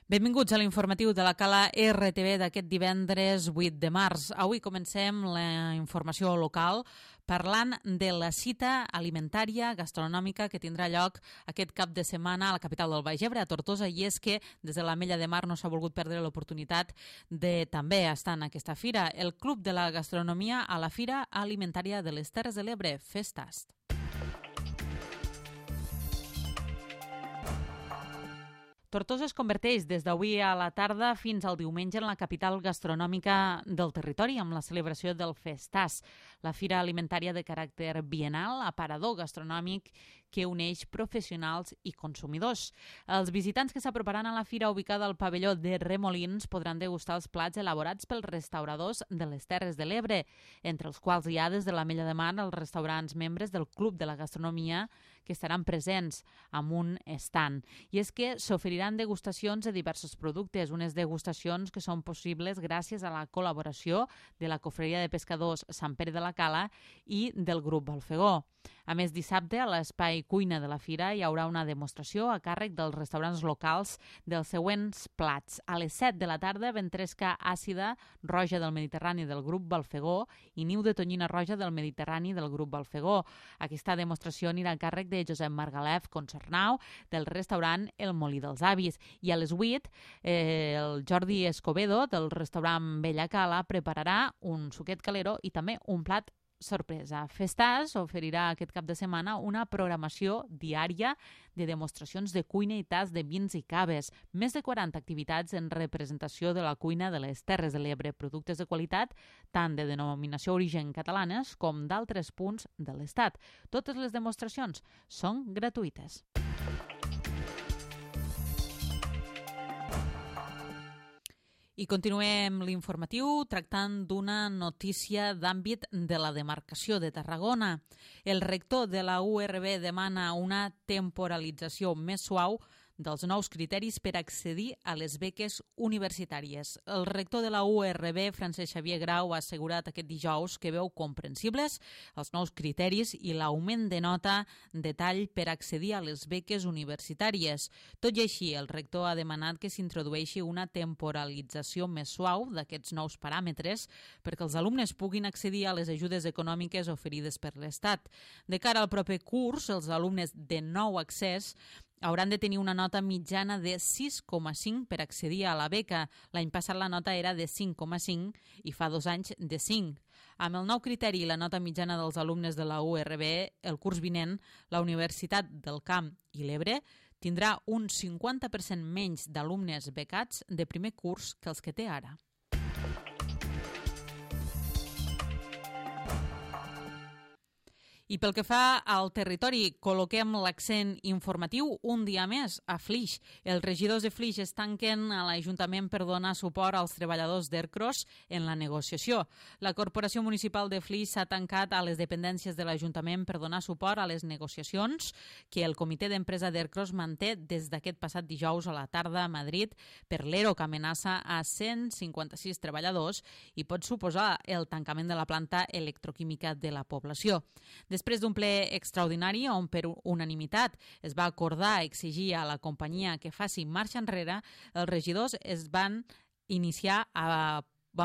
Benvinguts a l'informatiu de la Cala RTV d'aquest divendres 8 de març. Avui comencem la informació local parlant de la cita alimentària gastronòmica que tindrà lloc aquest cap de setmana a la capital del Baix Ebre, a Tortosa, i és que des de l'Ametlla de Mar no s'ha volgut perdre l'oportunitat de també estar en aquesta fira. El Club de la Gastronomia a la Fira Alimentària de les Terres de l'Ebre, Festast. Tortosa es converteix des d'avui a la tarda fins al diumenge en la capital gastronòmica del territori amb la celebració del Festàs, la fira alimentària de caràcter biennal, aparador gastronòmic que uneix professionals i consumidors. Els visitants que s'aproparan a la fira ubicada al pavelló de Remolins podran degustar els plats elaborats pels restauradors de les Terres de l'Ebre, entre els quals hi ha des de l'Ametlla de Mar els restaurants membres del Club de la Gastronomia que estaran presents amb un stand. I és que s'oferiran degustacions de diversos productes, unes degustacions que són possibles gràcies a la col·laboració de la Cofreria de Pescadors Sant Pere de la Cala i del grup Balfegó. A més, dissabte, a l'espai cuina de la fira hi haurà una demostració a càrrec dels restaurants locals dels següents plats. A les 7 de la tarda, ventresca àcida roja del Mediterrani del grup Balfegó i niu de tonyina roja del Mediterrani del grup Balfegó. Aquesta demostració anirà a càrrec de Josep Margalef Concernau del restaurant El Molí dels Avis. I a les 8, el Jordi Escobedo del restaurant Bella Cala prepararà un suquet calero i també un plat sorpresa. Festàs oferirà aquest cap de setmana una programació diària de demostracions de cuina i tas de vins i caves, més de 40 activitats en representació de la cuina de les Terres de l'Ebre, productes de qualitat tant de denominació origen catalanes com d'altres punts de l'Estat. Totes les demostracions són gratuïtes. I continuem l'informatiu tractant d'una notícia d'àmbit de la demarcació de Tarragona. El rector de la URB demana una temporalització més suau dels nous criteris per accedir a les beques universitàries. El rector de la URB, Francesc Xavier Grau, ha assegurat aquest dijous que veu comprensibles els nous criteris i l'augment de nota de tall per accedir a les beques universitàries. Tot i així, el rector ha demanat que s'introdueixi una temporalització més suau d'aquests nous paràmetres perquè els alumnes puguin accedir a les ajudes econòmiques oferides per l'Estat. De cara al proper curs, els alumnes de nou accés hauran de tenir una nota mitjana de 6,5 per accedir a la beca. L'any passat la nota era de 5,5 i fa 2 anys de 5. Amb el nou criteri i la nota mitjana dels alumnes de la URB, el curs vinent, la Universitat del Camp i l'Ebre tindrà un 50% menys d'alumnes becats de primer curs que els que té ara. I pel que fa al territori, col·loquem l'accent informatiu un dia més a Flix. Els regidors de Flix es tanquen a l'Ajuntament per donar suport als treballadors d'Ercros en la negociació. La Corporació Municipal de Flix s'ha tancat a les dependències de l'Ajuntament per donar suport a les negociacions que el Comitè d'Empresa d'Ercros manté des d'aquest passat dijous a la tarda a Madrid per l'ERO que amenaça a 156 treballadors i pot suposar el tancament de la planta electroquímica de la població. Després d'un ple extraordinari on per unanimitat es va acordar exigir a la companyia que faci marxa enrere, els regidors van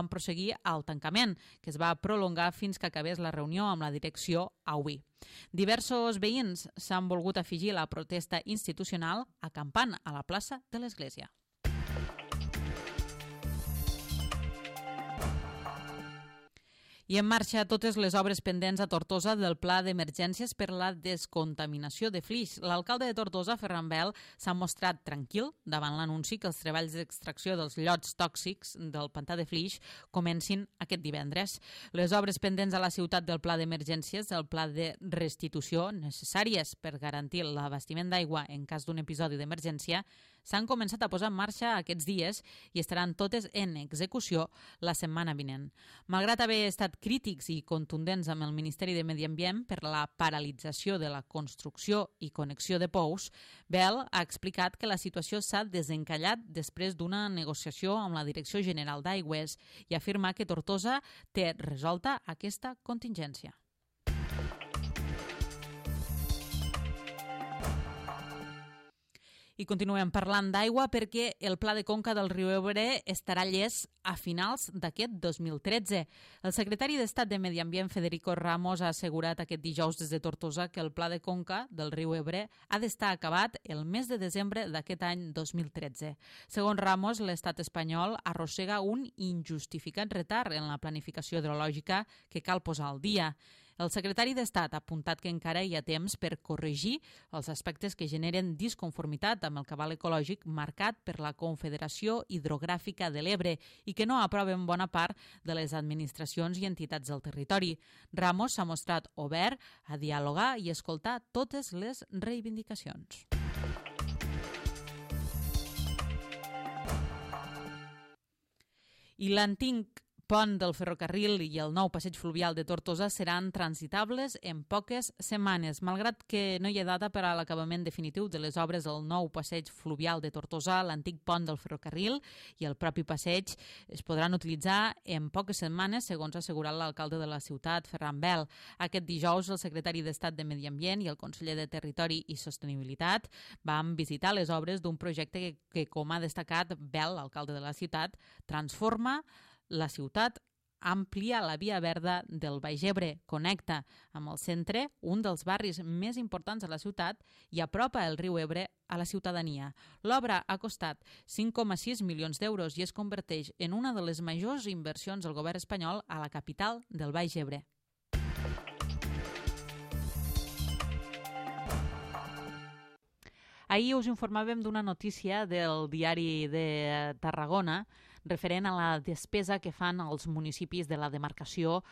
proseguir al tancament, que es va prolongar fins que acabés la reunió amb la direcció avui. Diversos veïns s'han volgut afegir a la protesta institucional acampant a la plaça de l'Església. I en marxa totes les obres pendents a Tortosa del Pla d'Emergències per la descontaminació de Flix. L'alcalde de Tortosa, Ferran Bel, s'ha mostrat tranquil davant l'anunci que els treballs d'extracció dels llots tòxics del pantà de Flix comencin aquest divendres. Les obres pendents a la ciutat del Pla d'Emergències, el pla de restitució necessàries per garantir l'abastiment d'aigua en cas d'un episodi d'emergència, s'han començat a posar en marxa aquests dies i estaran totes en execució la setmana vinent. Malgrat haver estat crítics i contundents amb el Ministeri de Medi Ambient per la paralització de la construcció i connexió de pous, Bel ha explicat que la situació s'ha desencallat després d'una negociació amb la Direcció General d'Aigües i afirma que Tortosa té resolta aquesta contingència. I continuem parlant d'aigua perquè el Pla de Conca del riu Ebre estarà llest a finals d'aquest 2013. El secretari d'Estat de Medi Ambient, Federico Ramos, ha assegurat aquest dijous des de Tortosa que el Pla de Conca del riu Ebre ha d'estar acabat el mes de desembre d'aquest any 2013. Segons Ramos, l'estat espanyol arrossega un injustificat retard en la planificació hidrològica que cal posar al dia. El secretari d'Estat ha apuntat que encara hi ha temps per corregir els aspectes que generen disconformitat amb el cabal ecològic marcat per la Confederació Hidrogràfica de l'Ebre i que no aproven bona part de les administracions i entitats del territori. Ramos s'ha mostrat obert a dialogar i escoltar totes les reivindicacions. I l'antic pont del ferrocarril i el nou passeig fluvial de Tortosa seran transitables en poques setmanes. Malgrat que no hi ha data per a l'acabament definitiu de les obres del nou passeig fluvial de Tortosa, l'antic pont del ferrocarril i el propi passeig es podran utilitzar en poques setmanes, segons ha assegurat l'alcalde de la ciutat, Ferran Bel. Aquest dijous, el secretari d'Estat de Medi Ambient i el conseller de Territori i Sostenibilitat van visitar les obres d'un projecte que, com ha destacat Bel, l'alcalde de la ciutat, transforma la ciutat, amplia la via verda del Baix Ebre, connecta amb el centre, un dels barris més importants de la ciutat, i apropa el riu Ebre a la ciutadania. L'obra ha costat 5,6 milions d'euros i es converteix en una de les majors inversions del govern espanyol a la capital del Baix Ebre. Ahir us informàvem d'una notícia del diari de Tarragona referent a la despesa que fan els municipis de la demarcació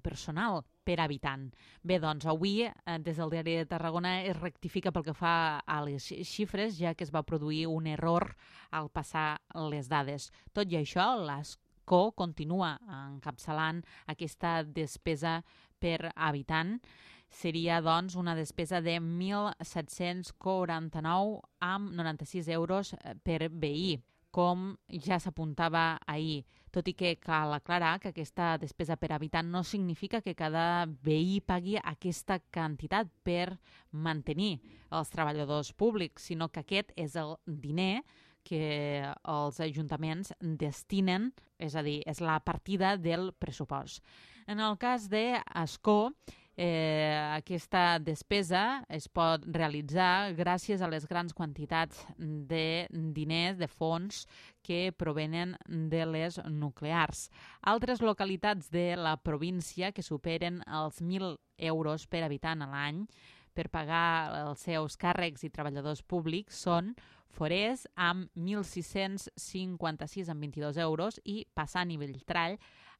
personal per habitant. Bé, doncs, avui, des del diari de Tarragona, es rectifica pel que fa a les xifres, ja que es va produir un error al passar les dades. Tot i això, l'ASCO continua encapçalant aquesta despesa per habitant. Seria, doncs, una despesa de 1.749,96 euros per veí, com ja s'apuntava ahir, tot i que cal aclarar que aquesta despesa per habitant no significa que cada veí pagui aquesta quantitat per mantenir els treballadors públics, sinó que aquest és el diner que els ajuntaments destinen, és a dir, és la partida del pressupost. En el cas d'Ascó, aquesta despesa es pot realitzar gràcies a les grans quantitats de diners, de fons que provenen de les nuclears. Altres localitats de la província que superen els 1.000 euros per habitant a l'any per pagar els seus càrrecs i treballadors públics són Forès amb 1.656,22 euros i Passant i Belltrall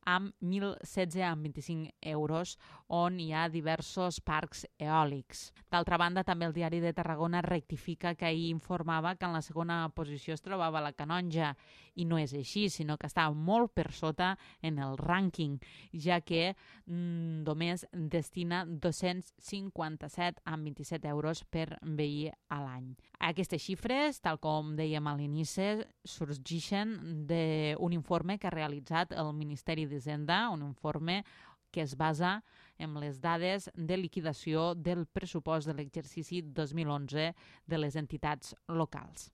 amb 1.016,25 euros, on hi ha diversos parcs eòlics. D'altra banda, també el diari de Tarragona rectifica que ahir informava que en la segona posició es trobava la Canonja, i no és així, sinó que està molt per sota en el rànquing, ja que només destina 257,27 euros per veí a l'any. Aquestes xifres, tal com dèiem a l'inici, sorgeixen d'un informe que ha realitzat el Ministeri d'Hisenda, un informe que es basa en les dades de liquidació del pressupost de l'exercici 2011 de les entitats locals.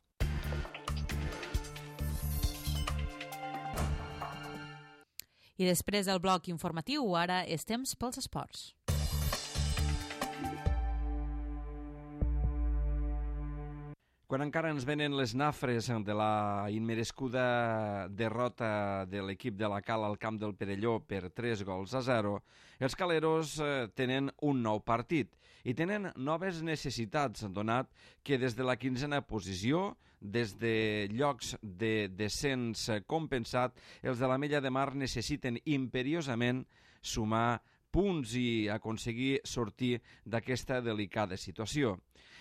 I després del bloc informatiu, ara és temps pels esports. Quan encara ens venen les nafres de la immerescuda derrota de l'equip de la Cala al camp del Perelló per 3-0, els caleros tenen un nou partit i tenen noves necessitats, donat que des de la 15a posició, des de llocs de descens compensat, els de l'Ametlla de Mar necessiten imperiosament sumar punts i aconseguir sortir d'aquesta delicada situació.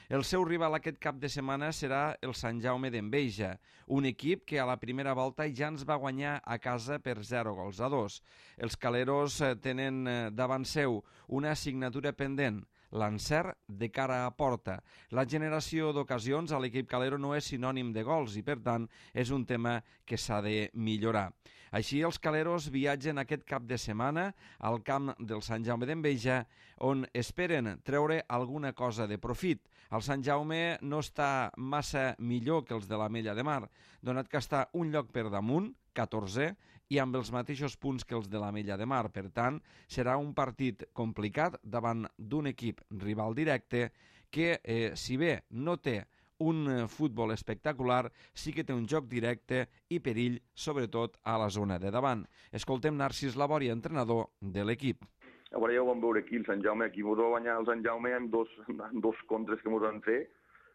El seu rival aquest cap de setmana serà el Sant Jaume d'Enveja, un equip que a la primera volta ja ens va guanyar a casa per 0-2. Els caleros tenen davant seu una assignatura pendent, l'encert de cara a porta. La generació d'ocasions a l'equip calero no és sinònim de gols i, per tant, és un tema que s'ha de millorar. Així, els caleros viatgen aquest cap de setmana al camp del Sant Jaume d'Enveja, on esperen treure alguna cosa de profit, El Sant Jaume no està massa millor que els de l'Ametlla de Mar, donat que està un lloc per damunt, 14è, i amb els mateixos punts que els de l'Ametlla de Mar. Per tant, serà un partit complicat davant d'un equip rival directe que, si bé no té un futbol espectacular, sí que té un joc directe i perill, sobretot a la zona de davant. Escoltem Narcís Labòria, entrenador de l'equip. A veure, ja ho vam veure aquí, el Sant Jaume. Aquí ens va guanyar el Sant Jaume en dos contres que ens van fer,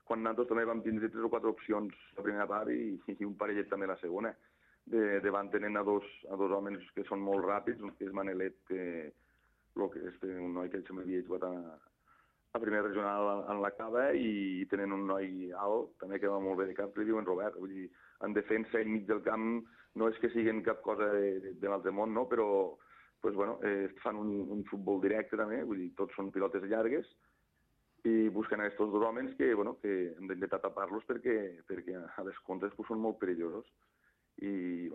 quan nosaltres també vam tindre 3 o 4 opcions la primera part i un parellet també la segona. Davant tenen a dos homes que són molt ràpids, un que és Manelet, que és un noi que se m'havia jugat a primera regional en la Cava, i tenen un noi alt, també que va molt bé de cap, li diuen Robert. Vull dir, en defensa i enmig del camp no és que siguin cap cosa de l'altre món, no? Però pues, bueno, fan un futbol directe també, vull dir, tots són pilotes llargues, i busquen aquests dos homes que hem d'intentar tapar-los perquè a les contres pues, són molt perillosos. I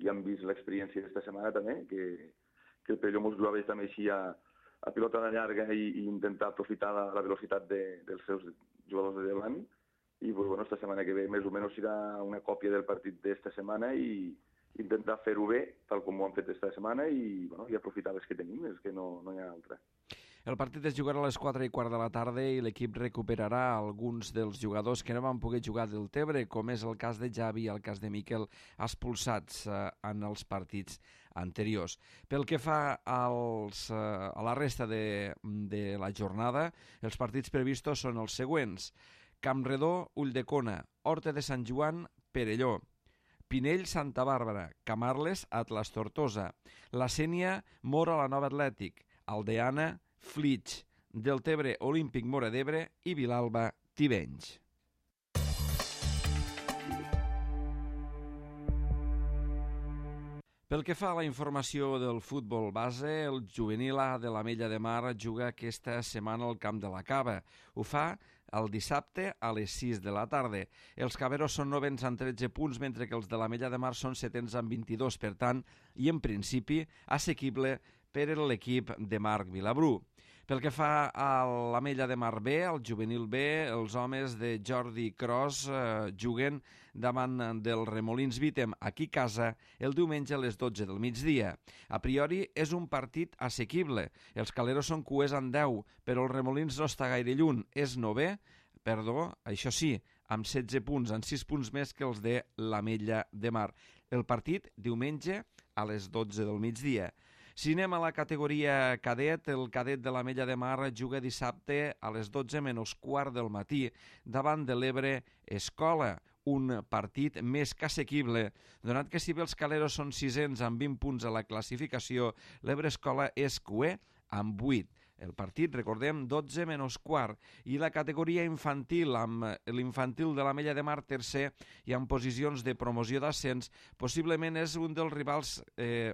ja hem vist l'experiència d'esta setmana també, que el Perelló mos jugava també així a pilota de llarga i intentar aprofitar la velocitat dels seus jugadors de davant. I esta setmana que ve més o menys serà una còpia del partit d'esta setmana i intentar fer-ho bé, tal com ho han fet esta setmana, i aprofitar les que tenim, és que no hi ha altra. El partit es jugarà a les 4:15 de la tarda i l'equip recuperarà alguns dels jugadors que no van poder jugar del Tebre, com és el cas de Javi i el cas de Miquel, expulsats en els partits anteriors. Pel que fa a la resta de la jornada, els partits previstos són els següents: Campredó, Ulldecona, Horta de Sant Joan, Perelló, Pinell, Santa Bàrbara, Camarles, Atlas Tortosa, La Sénia, Mora, la Nova Atlètic, Aldeana, Flix, Deltebre, Olímpic Móra d'Ebre i Vilalba, Tivenys. Pel que fa a la informació del futbol base, el juvenil A de l'Ametlla de Mar juga aquesta setmana al Camp de la Cava. Ho fa el dissabte a les 6 de la tarda. Els caberos són 9ens amb 13 punts, mentre que els de l'Ametlla de Mar són 7ens amb 22, per tant, i en principi, assequible per a l'equip de Marc Vilabrú. Pel que fa a l'Ametlla de Mar B, el juvenil B, els homes de Jordi Cros juguen davant del Remolins Vítem aquí a casa el diumenge a les 12 del migdia. A priori és un partit assequible. Els caleros són cuers en 10, però el Remolins no està gaire lluny. És 9è, això sí, amb 16 punts, amb 6 punts més que els de l'Ametlla de Mar. El partit diumenge a les 12 del migdia. Si anem a la categoria cadet, el cadet de l'Ametlla de Mar juga dissabte a les 12:15 del matí davant de l'Ebre Escola, un partit més que assequible, donat que si bé els caleros són 6ens amb 20 punts a la classificació, l'Ebre Escola és cuer amb 8. El partit, recordem, 12:15, i la categoria infantil, amb l'infantil de l'Ametlla de Mar tercer i en posicions de promoció d'ascens, possiblement és un dels rivals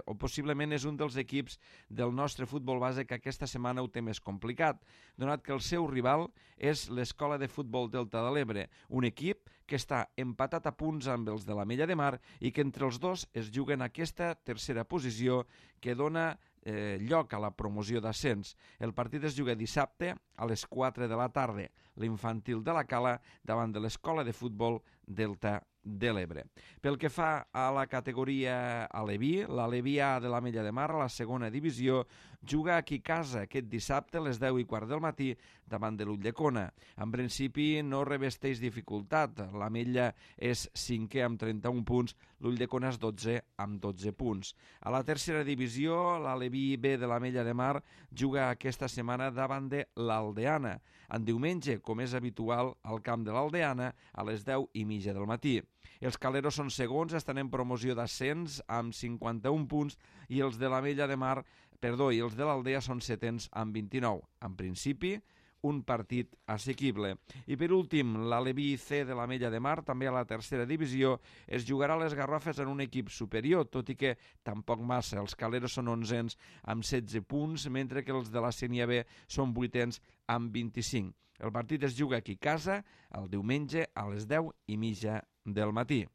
o possiblement és un dels equips del nostre futbol base que aquesta setmana ho té més complicat, donat que el seu rival és l'Escola de Futbol Delta de l'Ebre, un equip que està empatat a punts amb els de l'Ametlla de Mar i que entre els dos es juguen aquesta tercera posició que dona lloc a la promoció d'ascens. El partit es juga dissabte a les 4 de la tarda, l'infantil de la Cala davant de l'Escola de Futbol Delta de l'Ebre. Pel que fa a la categoria Aleví, l'Aleví A de l'Ametlla de Mar, a la segona divisió, juga aquí a casa aquest dissabte a les 10:15 del matí davant de l'Ulldecona. En principi no revesteix dificultat. L'Ametlla és 5è amb 31 punts, l'Ulldecona és 12è amb 12 punts. A la tercera divisió, l'Aleví B de l'Ametlla de Mar juga aquesta setmana davant de l'Aldeana. En diumenge, com és habitual, al camp de l'Aldeana a les 10:30 del matí. Els caleros són segons, estan en promoció d'ascens amb 51 punts i els de l'Ametlla de Mar, i els de l'Aldea són setens amb 29. En principi, un partit assequible. I per últim, l'Aleví C de l'Ametlla de Mar, també a la tercera divisió, es jugarà a les Garrofes en un equip superior, tot i que tampoc massa. Els caleros són 11ens amb 16 punts, mentre que els de la Sénia B són 8ens amb 25. El partit es juga aquí a casa el diumenge a les 10:30 del matí.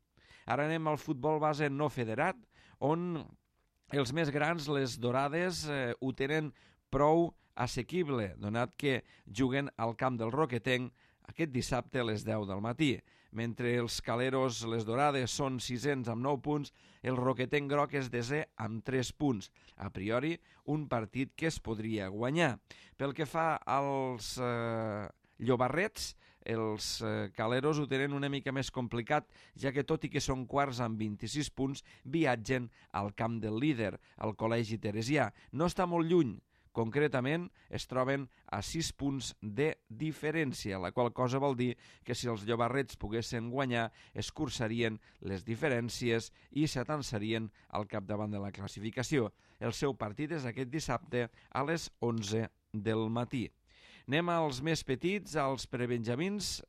Ara anem al futbol base no federat, on els més grans, les Dorades, ho tenen prou assequible, donat que juguen al camp del Roquetenc aquest dissabte a les 10 del matí. Mentre els caleros Les Dorades són 600 amb 9 punts, el Roquetenc groc és 10è amb 3 punts. A priori, un partit que es podria guanyar. Pel que fa als llobarrets, els caleros ho tenen una mica més complicat, ja que tot i que són quarts amb 26 punts, viatgen al camp del líder, al Col·legi Teresià. No està molt lluny. Concretament, es troben a 6 punts de diferència, la qual cosa vol dir que si els llobarrets poguessin guanyar, es cursarien les diferències i s'atansarien al capdavant de la classificació. El seu partit és aquest dissabte a les 11 del matí. Anem als més petits, als prebenjamins,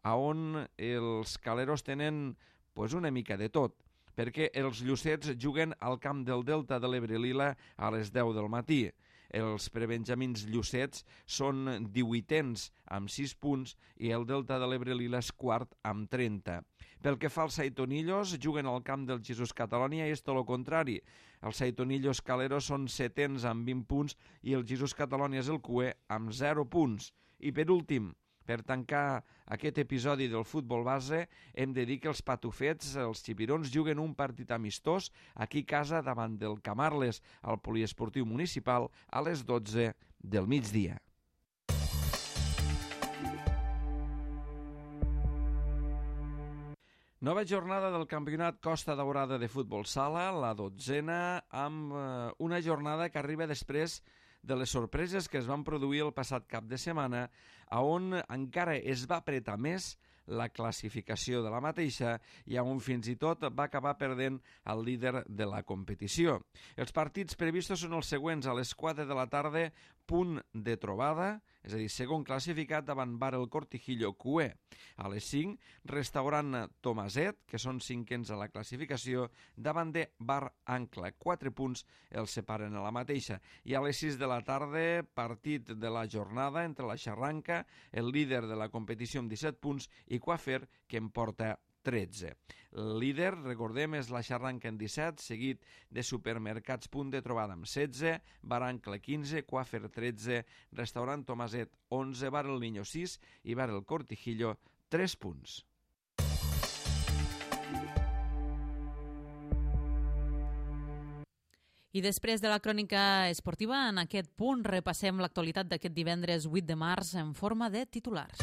on els caleros tenen una mica de tot, perquè els llucets juguen al camp del Delta de l'Ebre Lila a les 10 del matí. Els prebenjamins llucets són 18ens amb 6 punts i el Delta de l'Ebre Lila és quart amb 30. Pel que fa als Saitonillos, juguen al camp del Jesús Catalònia i és tot el contrari. Els Saitonillos caleros són 7ens amb 20 punts i el Jesús Catalònia és el cuer amb 0 punts. I per últim, per tancar aquest episodi del futbol base, hem de dir que els patufets, els xipirons, juguen un partit amistós aquí a casa davant del Camarles, al poliesportiu municipal, a les 12 del migdia. Nova jornada del campionat Costa Daurada de futbol sala, la 12a, amb una jornada que arriba després de les sorpreses que es van produir el passat cap de setmana, on encara es va apretar més la classificació de la mateixa i on fins i tot va acabar perdent el líder de la competició. Els partits previstos són els següents: a les 4 de la tarda, punt de trobada, és a dir, segon classificat davant Bar el Cortijillo Cué. A les 5, restaurant Tomaset, que són 5ens a la classificació, davant de Bar Ancla. 4 punts els separen a la mateixa. I a les 6 de la tarda, partit de la jornada entre la Xarranca, el líder de la competició amb 17 punts, i Coafer, que en porta 13. El líder, recordem, és la Xarranca en 17, seguit de Supermercats Punt de Trobada amb 16, Barancle 15, Coafer 13, Restaurant Tomaset 11, Bar el Niño 6 i Bar el Cortijillo 3 punts. I després de la crònica esportiva, en aquest punt repassem l'actualitat d'aquest divendres 8 de març en forma de titulars.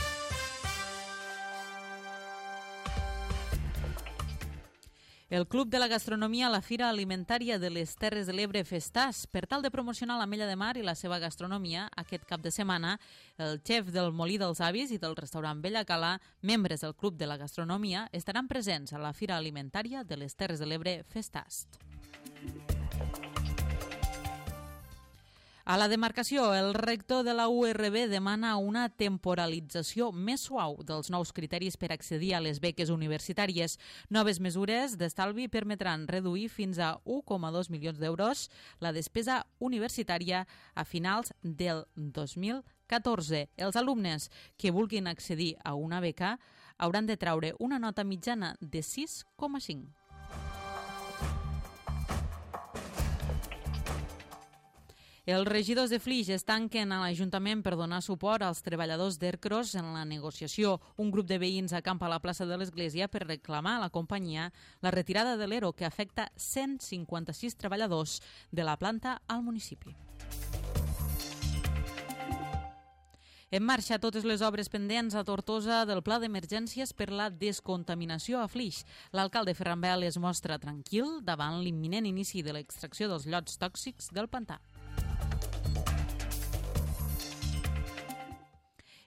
El Club de la Gastronomia a la Fira Alimentària de les Terres de l'Ebre Festàs. Per tal de promocionar l'Ametlla de Mar i la seva gastronomia, aquest cap de setmana, el xef del Molí dels Avis i del restaurant Bella Cala, membres del Club de la Gastronomia, estaran presents a la Fira Alimentària de les Terres de l'Ebre Festàs. A la demarcació, el rector de la URB demana una temporalització més suau dels nous criteris per accedir a les beques universitàries. Noves mesures d'estalvi permetran reduir fins a 1,2 milions d'euros la despesa universitària a finals del 2014. Els alumnes que vulguin accedir a una beca hauran de traure una nota mitjana de 6,5. Els regidors de Flix es tanquen a l'Ajuntament per donar suport als treballadors d'Ercros en la negociació. Un grup de veïns acampa a la plaça de l'Església per reclamar a la companyia la retirada de l'ERO que afecta 156 treballadors de la planta al municipi. En marxa totes les obres pendents a Tortosa del pla d'emergències per la descontaminació a Flix. L'alcalde Ferran Bel es mostra tranquil davant l'imminent inici de l'extracció dels llots tòxics del pantà.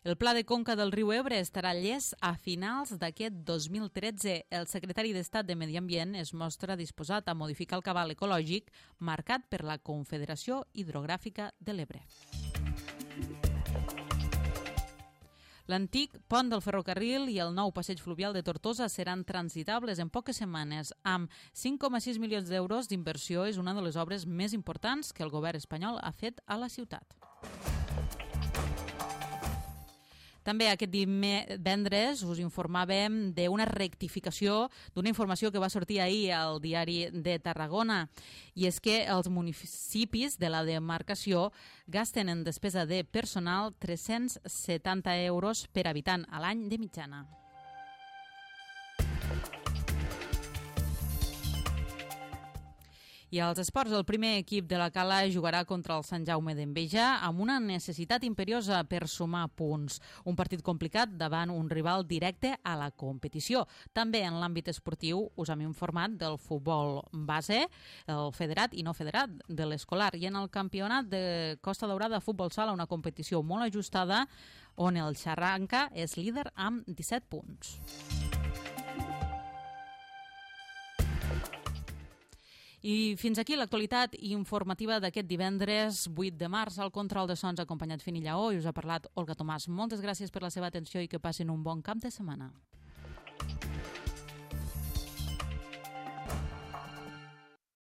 El pla de conca del riu Ebre estarà llest a finals d'aquest 2013. El secretari d'Estat de Medi Ambient es mostra disposat a modificar el cabal ecològic marcat per la Confederació Hidrogràfica de l'Ebre. L'antic pont del ferrocarril i el nou passeig fluvial de Tortosa seran transitables en poques setmanes. Amb 5,6 milions d'euros d'inversió és una de les obres més importants que el govern espanyol ha fet a la ciutat. També aquest divendres us informàvem d'una rectificació d'una informació que va sortir ahir al diari de Tarragona, i és que els municipis de la demarcació gasten en despesa de personal 370 euros per habitant a l'any de mitjana. I als esports, el primer equip de la Cala jugarà contra el Sant Jaume d'Enveja amb una necessitat imperiosa per sumar punts. Un partit complicat davant un rival directe a la competició. També en l'àmbit esportiu us hem informat del futbol base, el federat i no federat de l'escolar, i en el campionat de Costa Daurada futbol sala, una competició molt ajustada on el Xarranca és líder amb 17 punts. I fins aquí l'actualitat informativa d'aquest divendres 8 de març. Al control de sons acompanyat Fini Lleó i us ha parlat Olga Tomàs. Moltes gràcies per la seva atenció i que passin un bon cap de setmana.